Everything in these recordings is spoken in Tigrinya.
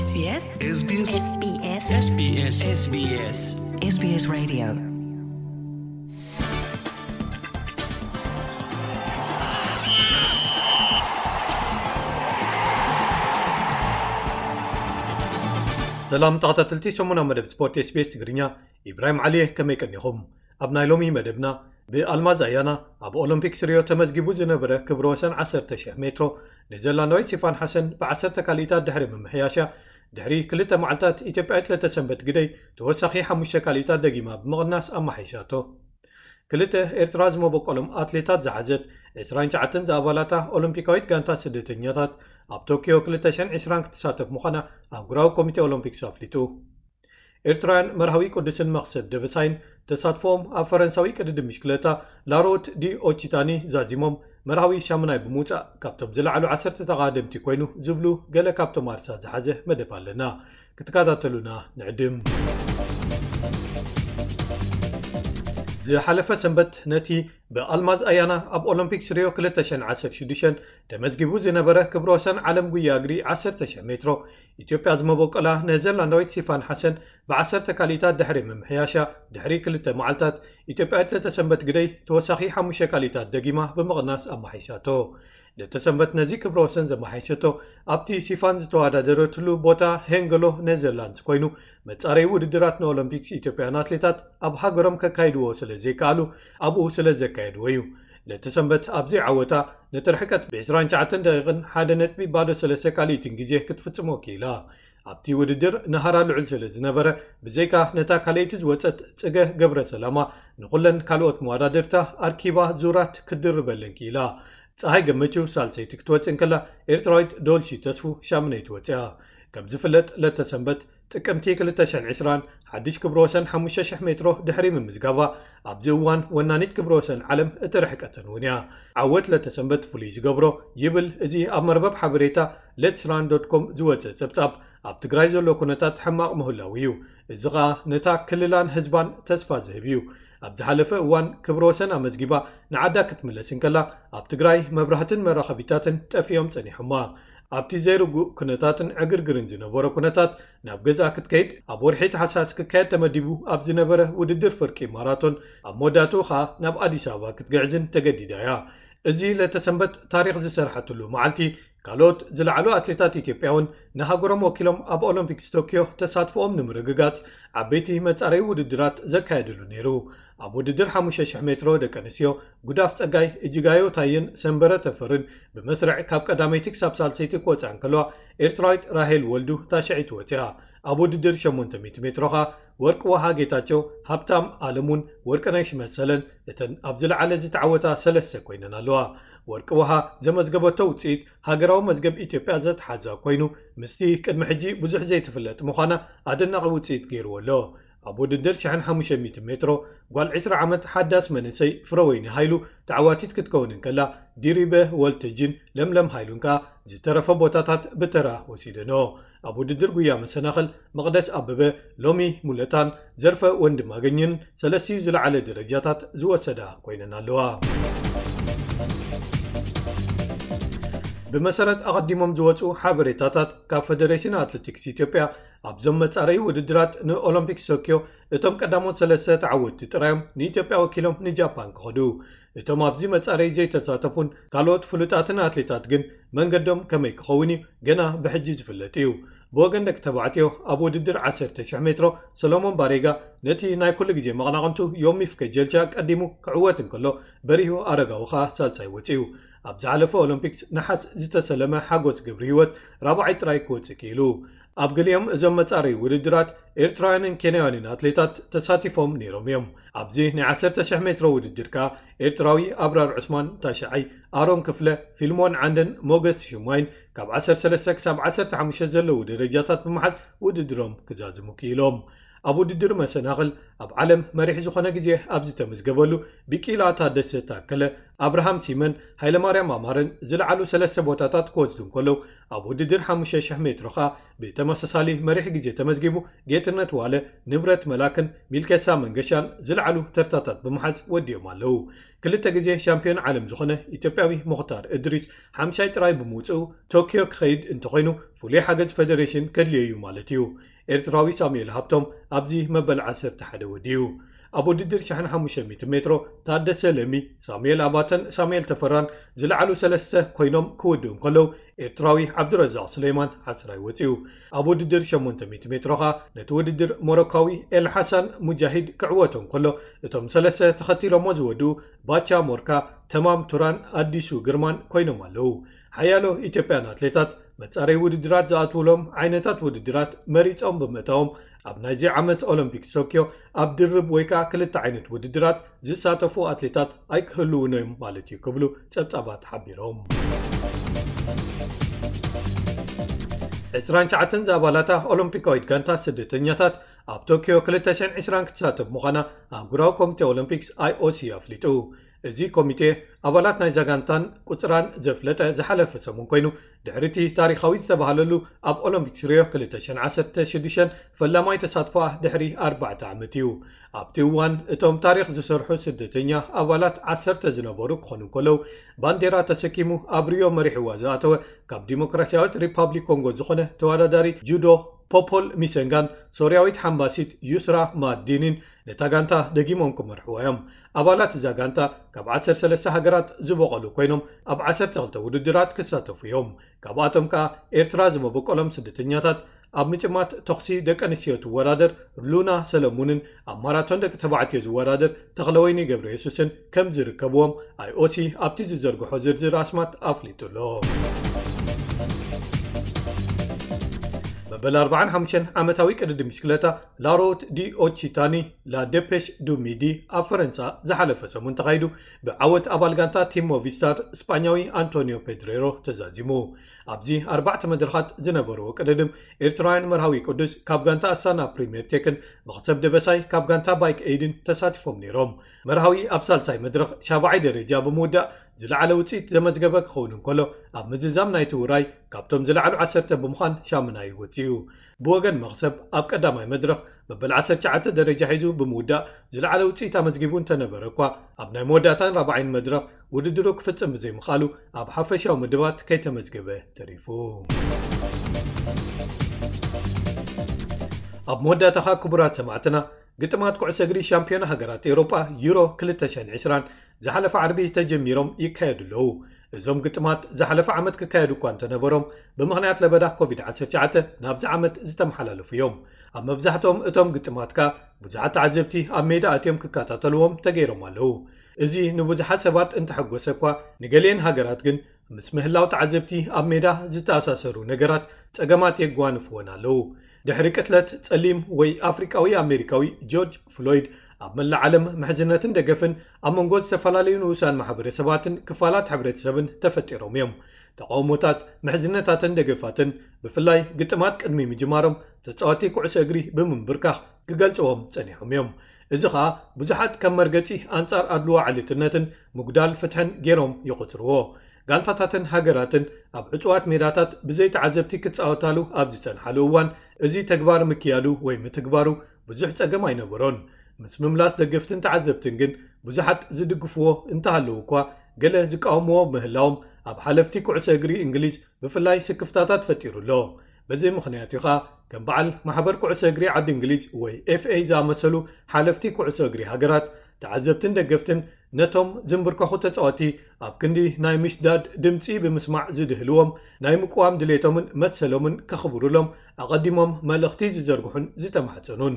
SBS SBS SBS SBS SBS SBS Radio. ሰላም ተኸታተልቲ ሰሙና መደብ ስፖርት SBS ትግርኛ፣ ኢብራሂም ዓሊ እየ። ከመይ ቀኒኹም? ኣብ ናይ ሎሚ መደብና፣ ብኣልማዝ ኣያና ኣብ ኦሎምፒክስ ሪዮ ተመዝጊቡ ዝነበረ ክብረ ወሰን ዓሰርተ ሺሕ ሜትሮ ኔዘርላንዳዊት ሲፋን ሓሰን ብ ዓሰርተ ካልኢታት ድሕሪ ምምሕያሻ፣ ድሕሪ ክልተ መዓልታት ኢትዮጵያዊት ለተሰንበት ግደይ ተወሳኺ ሓሙሽተ ካልኢታት ደጊማ ብምቕናስ ኣመሓይሻቶ። ክልተ ኤርትራ ዝመበቆሎም ኣትሌታት ዝሓዘት ዕስራን ትሽዓተን ዝኣባላታ ኦሎምፒካዊት ጋንታ ስደተኛታት ኣብ ቶኪዮ ክልተ ሽሕን ዕስራን ክትሳተፍ ምዃና ኣህጉራዊ ኮሚቴ ኦሎምፒክስ ኣፍሊጡ። ኤርትራውያን መርሃዊ ቅዱስን መኽሰብ ደበሳይን ተሳትፎኦም ኣብ ፈረንሳዊ ቅድድም ብሽክለታ ላሮት ዲ ኦቺታኒ ዛዚሞም መርሃዊ ሻምናይ ብምውጻእ ካብቶም ዝለዓሉ ዓሰርተ ተቓደምቲ ኮይኑ ዝብሉ ገለ ካብቶም ኣርሳ ዝሓዘ መደብ ኣለና። ክትከታተሉና ንዕድም። ዝሓለፈ ሰንበት ነቲ ብኣልማዝ ኣያና ኣብ ኦሎምፒክስ ሪዮ ክልተ ሽሕን ዓሰርተ ሽዱሽተን ተመዝጊቡ ዝነበረ ክብረ ወሰን ዓለም ጉያ እግሪ ዓሰርተ ሺሕ ሜትሮ ኢትዮጵያ ዝመበቆላ ኔዘርላንዳዊት ሲፋን ሓሰን ብ ዓሰርተ ካልኢታት ድሕሪ ምምሕያሻ፣ ድሕሪ ክልተ መዓልታት ኢትዮጵያዊት ለተሰንበት ግደይ ተወሳኺ ሓሙሽተ ካልኢታት ደጊማ ብምቕናስ ኣመሓይሻቶ። ለተሰንበት ነዚ ክብረ ወሰን ዘመሓይሸቶ ኣብቲ ሲፋን ዝተወዳደረትሉ ቦታ ሄንገሎ ኔዘርላንድስ ኮይኑ፣ መጻረዪ ውድድራት ንኦሎምፒክስ ኢትዮጵያውያን ኣትሌታት ኣብ ሃገሮም ከካይድዎ ስለ ዘይከኣሉ ኣብኡ ስለ ዘካየድዎ እዩ። ለተሰንበት ኣብዚ ዓወታ ነቲ ርሕቀት ብ ዕስራን ትሽዓተን ደቂቕን ሓደ ነጥቢ ባዶ ሰለስተ ካልኢትን ግዜ ክትፍጽሞ ክኢላ። ኣብቲ ውድድር ንሃራ ልዑል ስለ ዝነበረ፣ ብዘይካ ነታ ካልኣይቲ ዝወጸት ጽገ ገብረ ሰላማ ንኹለን ካልኦት መወዳድርታ ኣርኪባ ዙራት ክትድርበለን ክኢላ። ጸሃይ ገመቹ ሳልሰይቲ ክትወጽእ እንከላ፣ ኤርትራዊት ዶልሺ ተስፉ ሻምነይቲ ወጺኣ። ከም ዝፍለጥ ለተሰንበት ጥቅምቲ ክልተ ሽሕን ዕስራን ሓድሽ ክብረ ወሰን ሓሙሽተ ሽሕ ሜትሮ ድሕሪ ምምዝጋባ፣ ኣብዚ እዋን ወናኒት ክብረ ወሰን ዓለም እቲ ርሕቀተን እውን እያ። ዓወት ለተሰንበት ፍሉይ ዝገብሮ ይብል እዚ ኣብ መርበብ ሓበሬታ ሌትስራን ዶት ኮም ዝወጸ ጸብጻብ፣ ኣብ ትግራይ ዘሎ ኩነታት ሕማቕ ምህላው እዩ። እዚ ኸኣ ነታ ክልላን ህዝባን ተስፋ ዝህብ እዩ። ኣብ ዝሓለፈ እዋን ክብረ ወሰን ኣመዝጊባ ንዓዳ ክትምለስ እንከላ፣ ኣብ ትግራይ መብራህትን መራኸቢታትን ጠፊኦም ጸኒሖማ። ኣብቲ ዘይርጉእ ኩነታትን ዕግርግርን ዝነበሮ ኩነታት ናብ ገዝኣ ክትከይድ ኣብ ወርሒ ታሕሳስ ክካየድ ተመዲቡ ኣብ ዝነበረ ውድድር ፍርቂ ማራቶን ኣብ መወዳእትኡ ኸኣ ናብ ኣዲስ ኣበባ ክትግዕዝን ተገዲዳ እያ። እዚ ለተሰንበት ታሪኽ ዝሰርሐትሉ መዓልቲ፣ ካልኦት ዝለዓሉ ኣትሌታት ኢትዮጵያ እውን ንሃገሮም ወኪሎም ኣብ ኦሎምፒክስ ቶኪዮ ተሳትፎኦም ንምርግጋጽ ዓበይቲ መጻረዪ ውድድራት ዘካየድሉ ነይሩ። ኣብ ውድድር ሓሙሽተ ሽሕ ሜትሮ ደቂ ኣንስትዮ፣ ጉዳፍ ጸጋይ፣ እጅጋዮ ታየን ሰንበረ ተፈርን ብመስርዕ ካብ ቀዳመይቲ ክሳብ ሳልሰይቲ ክወጻ እንከለዋ፣ ኤርትራዊት ራሄል ወልዱ ታሽዐይቲ ወጺኣ። ኣብ ውድድር ሸሞንተ ሚእቲ ሜትሮ ኸኣ ወርቂ ውሃ ጌታቸው፣ ሃብታም ኣለሙን ወርቅነሽ መሰለን እተን ኣብ ዝለዓለ ዝተዓወታ ሰለስተ ኮይነን ኣለዋ። ወርቂ ውሃ ዘመዝገበቶ ውጽኢት ሃገራዊ መዝገብ ኢትዮጵያ ዘትሓዛ ኮይኑ፣ ምስቲ ቅድሚ ሕጂ ብዙሕ ዘይትፍለጥ ምዃና ኣደናቒ ውጽኢት ገይርዎ ኣሎ። ኣብ ውድድር ሽሕን ሓሙሽተ ሚእቲ ሜትሮ ጓል ዕስራ ዓመት ሓዳስ መንእሰይ ፍረወይኒ ሃይሉ ተዓዋቲት ክትከውን እንከላ፣ ዲሪበ ወልተጅን ለምለም ሃይሉን ከኣ ዝተረፈ ቦታታት ብተራ ወሲደንኦ። ኣብ ውድድር ጉያ መሰናኽል መቕደስ ኣበበ፣ ሎሚ ሙለታን ዘርፈ ወንድማገኝን ሰለስቲኡ ዝለዓለ ደረጃታት ዝወሰዳ ኮይነን ኣለዋ። ብመሰረት ኣቐዲሞም ዝወጹ ሓበሬታታት ካብ ፈደሬሽን ኣትሌቲክስ ኢትዮጵያ፣ ኣብዞም መጻረዪ ውድድራት ንኦሎምፒክስ ቶኪዮ እቶም ቀዳሞት ሰለስተ ተዓወትቲ ጥራዮም ንኢትዮጵያ ወኪሎም ንጃፓን ክኸዱ። እቶም ኣብዚ መጻረዪ ዘይተሳተፉን ካልኦት ፍሉጣትን ኣትሌታት ግን መንገዶም ከመይ ክኸውን እዩ ገና ብሕጂ ዝፍለጥ እዩ። ብወገን ደቂ ተባዕትዮ ኣብ ውድድር ዓሰርተ ሽሕ ሜትሮ ሰሎሞን ባሬጋ ነቲ ናይ ኩሉ ግዜ መቐናቕንቱ ዮሚፍ ከጀልቻ ቀዲሙ ክዕወት እንከሎ፣ በሪሁ ኣረጋዊ ኸኣ ሳልሳይ ወጺኡ። ኣብ ዝሓለፈ ኦሎምፒክስ ነሓስ ዝተሰለመ ሓጎስ ገብረ ህይወት ራብዓይ ጥራይ ክወጽእ ክኢሉ። ኣብ ገሊኦም እዞም መጻረዪ ውድድራት ኤርትራውያንን ኬንያውያንን ኣትሌታት ተሳቲፎም ነይሮም እዮም። ኣብዚ ናይ ዓሰርተ ሽሕ ሜትሮ ውድድር ከኣ ኤርትራዊ ኣብራር ዑስማን ታሽዓይ፣ ኣሮን ክፍለ፣ ፊልሞን ዓንደን ሞገስ ሽማይን ካብ ዓሰርተ ሰለስተ ክሳብ ዓሰርተ ሓሙሽተ ዘለዉ ደረጃታት ብምሓዝ ውድድሮም ክዛዝሙ ክኢሎም። ኣብ ውድድር መሰናኽል ኣብ ዓለም መሪሕ ዝኾነ ግዜ ኣብ ዝተመዝገበሉ፣ ቢቂላ ታደሰ፣ ታከለ ኣብርሃም፣ ሲመን ሃይለማርያም ኣማረን ዝለዓሉ ሰለስተ ቦታታት ክወስዱ እንከለዉ፣ ኣብ ውድድር ሓሙሽተ ሽሕ ሜትሮ ኸኣ ብተመሳሳሊ መሪሕ ግዜ ተመዝጊቡ፣ ጌትነት ዋለ፣ ንብረት መላክን ሚልኬሳ መንገሻን ዝለዓሉ ተርታታት ብምሓዝ ወዲኦም ኣለዉ። ክልተ ግዜ ሻምፒዮን ዓለም ዝኾነ ኢትዮጵያዊ ሙኽታር እድሪስ ሓምሻይ ጥራይ ብምውፅኡ፣ ቶኪዮ ክኸይድ እንተኾይኑ፣ ፍሉይ ሓገዝ ፈደሬሽን ከድልዮ እዩ ማለት እዩ። ኤርትራዊ ሳሙኤል ሃብቶም ኣብዚ መበል ዓሰርተ ሓደ ወዲኡ። ኣብ ውድድር ሽሕን ሓሙሽተ ሚእቲ ሜትሮ፣ ታደሰ ለሚ፣ ሳሙኤል ኣባተን ሳሙኤል ተፈራን ዝለዓሉ ሰለስተ ኮይኖም ክውድኡ እንከለዉ፣ ኤርትራዊ ዓብዱረዛቕ ሱሌማን ዓስራይ ወጺኡ። ኣብ ውድድር ሸሞንተ ሚእቲ ሜትሮ ኸኣ፣ ነቲ ውድድር ሞሮካዊ ኤልሓሳን ሙጃሂድ ክዕወቶ እንከሎ፣ እቶም ሰለስተ ተኸቲሎሞ ዝወድኡ፣ ባቻ ሞርካ፣ ተማም ቱራን ኣዲሱ ግርማን ኮይኖም ኣለዉ። ሓያሎ ኢትዮጵያን ኣትሌታት መጻረይ ውድድራት ዝኣትውሎም ዓይነታት ውድድራት መሪጾም ብምእታዎም፣ ኣብ ናይዚ ዓመት ኦሎምፒክ ቶክዮ ኣብ ድርብ ወይ ከኣ ክልተ ዓይነት ውድድራት ዝሳተፉ ኣትሌታት ኣይክህልዉን እዮም ማለት እዩ ክብሉ ጸብጻባት ሓቢሮም። ዕስራን ትሽዓተን ዝኣባላታ ኦሎምፒካዊት ጋንታ ስደተኛታት ኣብ ቶክዮ ክልተ ሽሕን ዕስራን ክትሳተፍ ምዃና ኣህጉራዊ ኮሚቴ ኦሎምፒክስ፣ ኣይኦሲ፣ ኣፍሊጡ። እዚ ኮሚቴ ኣባላት ናይዛ ጋንታን ቁጽራን ዘፍለጠ ዝሓለፈ ሰሙን ኮይኑ፣ ድሕሪ እቲ ታሪኻዊ ዝተባህለሉ ኣብ ኦሎምፒክስ ሪዮ ክልተ ሽሕን ዓሰርተ ሽዱሽተን ፈላማይ ተሳትፎኣ ድሕሪ ኣርባዕተ ዓመት እዩ። ኣብቲ እዋን እቶም ታሪኽ ዝሰርሑ ስደተኛ ኣባላት ዓሰርተ ዝነበሩ ክኾኑ እንከለዉ፣ ባንዴራ ተሰኪሙ ኣብ ሪዮ መሪሕዋ ዝኣተወ ካብ ዲሞክራሲያዊት ሪፓብሊክ ኮንጎ ዝኾነ ተወዳዳሪ ጁዶ ፖፖል ሚሰንጋን ሶርያዊት ሓምባሲት ዩስራ ማዲኒን ነታ ጋንታ ደጊሞም ክመርሕዋ እዮም። ኣባላት እዛ ጋንታ ካብ ዓሰርተ ሰለስተ ሃገራት ዝበቐሉ ኮይኖም፣ ኣብ ዓሰርተ ክልተ ውድድራት ክሳተፉ እዮም። ካብኣቶም ከኣ ኤርትራ ዝመበቆሎም ስደተኛታት ኣብ ምጭማት ተኹሲ ደቂ ኣንስትዮ ትወዳደር ሉና ሰለሙንን ኣብ ማራቶን ደቂ ተባዕትዮ ዝወዳደር ተኽለወይኒ ገብረ የሱስን ከም ዝርከብዎም፣ ኣይኦሲ ኣብቲ ዝዘርግሖ ዝርዝር ኣስማት ኣፍሊጡ ኣሎ። መበል ኣርባዓን ሓሙሽተን ዓመታዊ ቅድድም ብሽክለታ ላሮት ዲ ኦቺታኒ፣ ላ ዴፔሽ ዱ ሚዲ፣ ኣብ ፈረንሳ ዝሓለፈ ሰሙን ተኻይዱ፣ ብዓወት ኣባል ጋንታ ቲም ሞቪስታር ስጳኛዊ ኣንቶኒዮ ፔድሬሮ ተዛዚሙ። ኣብዚ ኣርባዕተ መድረኻት ዝነበርዎ ቅድድም፣ ኤርትራውያን መርሃዊ ቅዱስ ካብ ጋንታ ኣስታና ፕሪምየር ቴክን፣ መኽሰብ ደበሳይ ካብ ጋንታ ባይክ ኤይድን ተሳቲፎም ነይሮም። መርሃዊ ኣብ ሳልሳይ መድረኽ ሻብዓይ ደረጃ ብምውዳእ ዝለዓለ ውጽኢት ዘመዝገበ ክኸውን እንከሎ፣ ኣብ ምዝዛም ናይቲ ውራይ ካብቶም ዝለዓሉ ዓሰርተ ብምዃን ሻምናይ ወጺኡ። ብወገን መኽሰብ ኣብ ቀዳማይ መድረኽ መበል ዓሰርተ ትሽዓተ ደረጃ ሒዙ ብምውዳእ ዝለዓለ ውጽኢት ኣመዝጊቡ እንተነበረ እኳ፣ ኣብ ናይ መወዳእታን ራብዓይን መድረኽ ውድድሩ ክፍጽም ብዘይምኽኣሉ ኣብ ሓፈሻዊ ምድባት ከይተመዝገበ ተሪፉ። ኣብ መወዳእታ ኸኣ ክቡራት ሰማዕትና፣ ግጥማት ኩዕሶ እግሪ ሻምፒዮና ሃገራት ኤውሮጳ ዩሮ ክልተ ሽሕን ዕስራን ዝሓለፈ ዓርቢ ተጀሚሮም ይካየዱ ኣለዉ። እዞም ግጥማት ዝሓለፈ ዓመት ክካየዱ እኳ እንተነበሮም፣ ብምኽንያት ለበዳ ኮቪድ ዓሰርተ ትሽዓተ ናብዚ ዓመት ዝተመሓላለፉ እዮም። ኣብ መብዛሕትኦም እቶም ግጥማት ከኣ ብዙሓት ተዓዘብቲ ኣብ ሜዳ ኣትዮም ክከታተልዎም ተገይሮም ኣለዉ። እዚ ንብዙሓት ሰባት እንተሐጎሰ እኳ፣ ንገሊአን ሃገራት ግን ምስ ምህላው ተዓዘብቲ ኣብ ሜዳ ዝተኣሳሰሩ ነገራት ጸገማት የጓንፍወን ኣለዉ። ድሕሪ ቅትለት ጸሊም ወይ ኣፍሪቃዊ ኣሜሪካዊ ጆርጅ ፍሎይድ፣ ኣብ መላእ ዓለም ምሕዝነትን ደገፍን ኣብ መንጎ ዝተፈላለዩ ንኡሳን ማሕበረሰባትን ክፋላት ሕብረተሰብን ተፈጢሮም እዮም። ተቃውሞታት፣ ምሕዝነታትን ደገፋትን፣ ብፍላይ ግጥማት ቅድሚ ምጅማሮም፣ ተጻወቲ ኩዕሶ እግሪ ብምንብርካኽ ክገልጽዎም ጸኒሖም እዮም። እዚ ኸኣ ብዙሓት ከም መርገጺ ኣንጻር ኣድልዎ ዓሌትነትን ምጉዳል ፍትሕን ገይሮም ይቖጽርዎ። ጋንታታትን ሃገራትን ኣብ ዕጹዋት ሜዳታት ብዘይ ተዓዘብቲ ክጻወታሉ ኣብ ዝጸንሓሉ እዋን፣ እዚ ተግባር ምክያዱ ወይ ምትግባሩ ብዙሕ ጸገም ኣይነበሮን። ምስ ምምላስ ደገፍትን ተዓዘብትን ግን ብዙሓት ዝድግፍዎ እንተሃለዉ እኳ፣ ገለ ዝቃወምዎ ምህላዎም ኣብ ሓለፍቲ ኩዕሶ እግሪ እንግሊዝ ብፍላይ ስክፍታታት ፈጢሩ ኣሎ። በዚ ምኽንያት እዩ ኸኣ ከም በዓል ማሕበር ኩዕሶ እግሪ ዓዲ እንግሊዝ ወይ ኤፍ ኤ ዝኣመሰሉ ሓለፍቲ ኩዕሶ እግሪ ሃገራት፣ ተዓዘብትን ደገፍትን ነቶም ዝንብርከኹ ተጻወቲ ኣብ ክንዲ ናይ ምሽዳድ ድምጺ ብምስማዕ ዝድህልዎም፣ ናይ ምቅዋም ድሌቶምን መሰሎምን ከኽብሩሎም ኣቐዲሞም መልእኽቲ ዝዘርግሑን ዝተማሕጸኑን።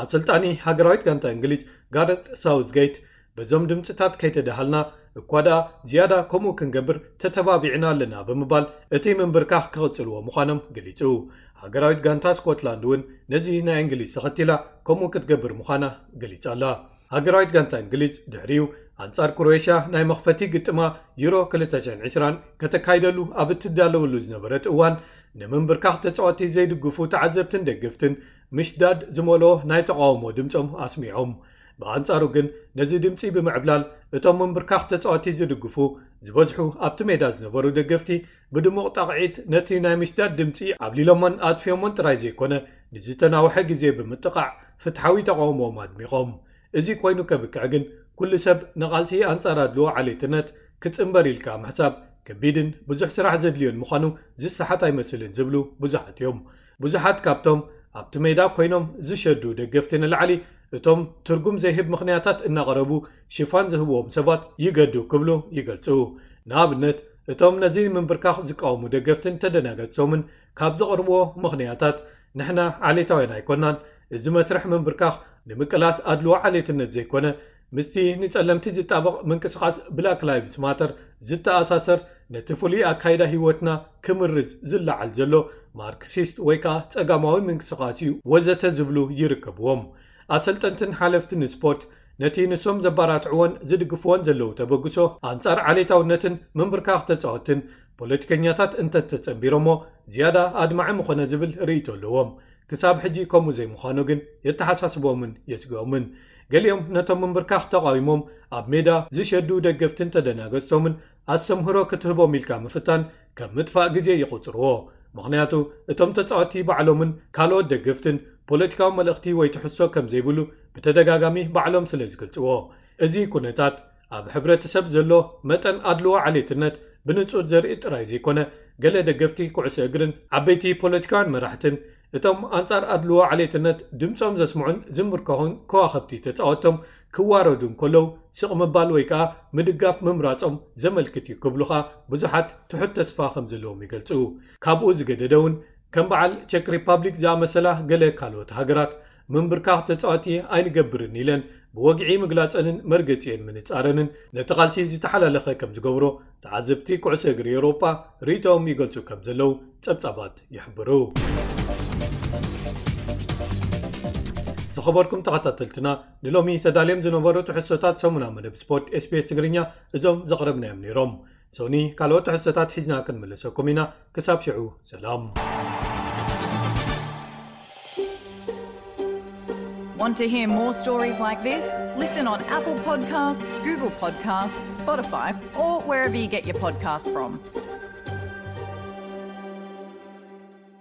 ኣሰልጣኒ ሃገራዊት ጋንታ እንግሊዝ ጋረት ሳውትጌት፣ በዞም ድምጽታት ከይተደሃልና እኳ ደኣ ዝያዳ ከምኡ ክንገብር ተተባቢዕና ኣለና ብምባል እቲ ምንብርካኽ ክቕጽልዎ ምዃኖም ገሊጹ። ሃገራዊት ጋንታ ስኮትላንድ እውን ነዚ ናይ እንግሊዝ ተኸቲላ ከምኡ ክትገብር ምዃና ገሊጻ ኣላ። ሃገራዊት ጋንታ እንግሊዝ ድሕሪኡ ኣንጻር ክሮኤሽያ ናይ መኽፈቲ ግጥማ ዩሮ ክልተ ሽሕን ዕስራን ከተካይደሉ ኣብ እትዳለወሉ ዝነበረት እዋን፣ ንምንብርካኽ ተጻወቲ ዘይድግፉ ተዓዘብትን ደገፍትን ምሽዳድ ዝመልኦ ናይ ተቓውሞ ድምጾም ኣስሚዖም። ብኣንጻሩ ግን ነዚ ድምጺ ብምዕብላል እቶም ምንብርካኽ ተጻወቲ ዝድግፉ ዝበዝሑ ኣብቲ ሜዳ ዝነበሩ ደገፍቲ ብድሙቕ ጣቕዒት ነቲ ናይ ምሽዳድ ድምጺ ኣብሊሎሞን ኣጥፊኦሞን ጥራይ ዘይኮነ ንዝተናውሐ ግዜ ብምጥቓዕ ፍትሓዊ ተቓውሞኦም ኣድሚቖም። እዚ ኮይኑ ከብቅዕ ግን ኩሉ ሰብ ንቓልሲ ኣንጻር ኣድልዎ ዓሌትነት ክጽንበር ኢልካ ምሕሳብ ከቢድን ብዙሕ ስራሕ ዘድልዮን ምዃኑ ዝሰሓት ኣይመስልን ዝብሉ ብዙሓት እዮም። ብዙሓት ካብቶም ኣብቲ ሜዳ ኮይኖም ዝሸዱ ደገፍቲ ንላዕሊ እቶም ትርጉም ዘይህብ ምኽንያታት እናቐረቡ ሽፋን ዝህብዎም ሰባት ይገዱ ክብሉ ይገልጹ። ንኣብነት እቶም ነዚ ምንብርካኽ ዝቃወሙ ደገፍትን ተደናገጽቶምን ካብ ዘቕርብዎ ምኽንያታት ንሕና ዓሌታውያን ኣይኮናን፣ እዚ መስርሕ ምንብርካኽ ንምቅላስ ኣድልዎ ዓሌትነት ዘይኮነ ምስቲ ንጸለምቲ ዝጣበቕ ምንቅስቓስ ብላክ ላይቭስ ማተር ዝተኣሳሰር ነቲ ፍሉይ ኣካይዳ ህይወትና ክምርዝ ዝለዓል ዘሎ ማርክሲስት ወይ ከኣ ጸጋማዊ ምንቅስቓስ እዩ ወዘተ ዝብሉ ይርከብዎም። ኣሰልጠንትን ሓለፍትን ስፖርት ነቲ ንሶም ዘባራትዕዎን ዝድግፍዎን ዘለዉ ተበግሶ ኣንጻር ዓሌታውነትን ምንብርካኽ ተጻወትን ፖለቲከኛታት እንተተጸንቢሮሞ ዝያዳ ኣድማዒ ምኾነ ዝብል ርእይቶ ኣለዎም። ክሳብ ሕጂ ከምኡ ዘይምዃኑ ግን የተሓሳስቦምን የስግኦምን። ገሊኦም ነቶም ምንብርካኽ ተቓዊሞም ኣብ ሜዳ ዝሸዱ ደገፍትን ተደናገጽቶምን ኣስተምህሮ ክትህቦም ኢልካ ምፍታን ከም ምጥፋእ ግዜ ይቑጽርዎ። ምኽንያቱ እቶም ተጻወቲ ባዕሎምን ካልኦት ደገፍትን ፖለቲካዊ መልእኽቲ ወይ ትሕዝቶ ከም ዘይብሉ ብተደጋጋሚ ባዕሎም ስለ ዝገልጽዎ። እዚ ኩነታት ኣብ ሕብረተሰብ ዘሎ መጠን ኣድልዎ ዓሌትነት ብንጹር ዘርኢ ጥራይ ዘይኮነ ገለ ደገፍቲ ኩዕሶ እግርን ዓበይቲ ፖለቲካውያን መራሕትን እቶም ኣንጻር ኣድልዎ ዓሌትነት ድምጾም ዘስምዑን ዝምርኮኹን ከዋኽብቲ ተጻወቶም ክዋረዱ እንከለዉ ስቕ ምባል ወይ ከኣ ምድጋፍ ምምራጾም ዘመልክት እዩ ክብሉ ከኣ ብዙሓት ትሑት ተስፋ ከም ዘለዎም ይገልጹ። ካብኡ ዝገደደ እውን ከም በዓል ቸክ ሪፓብሊክ ዝኣመሰላ ገለ ካልኦት ሃገራት ምንብርካኽ ተጻወቲ ኣይንገብርን ኢለን ብወግዒ ምግላጸንን መርገጺኤን ምንጻረንን ነቲ ቃልሲ ዝተሓላለኸ ከም ዝገብሮ ተዓዘብቲ ኩዕሶ እግሪ ኤውሮጳ ርእይቶኦም ይገልጹ ከም ዘለዉ ጸብጻባት ይሕብሩ። ዝኸበርኩም ተኸታተልትና ንሎሚ ተዳልዮም ዝነበሩ ትሕዝቶታት ሰሙና መደብ ስፖርት ኤስቢኤስ ትግርኛ እዞም ዘቕረብናዮም ነይሮም። ሶኒ ካልኦት ትሕዝቶታት ሒዝና ክንምለሰኩም ኢና። ክሳብ ሽዑ ሰላም። Want to hear more stories like this? Listen on Apple Podcasts, Google Podcasts, Spotify, or wherever you get your podcasts from.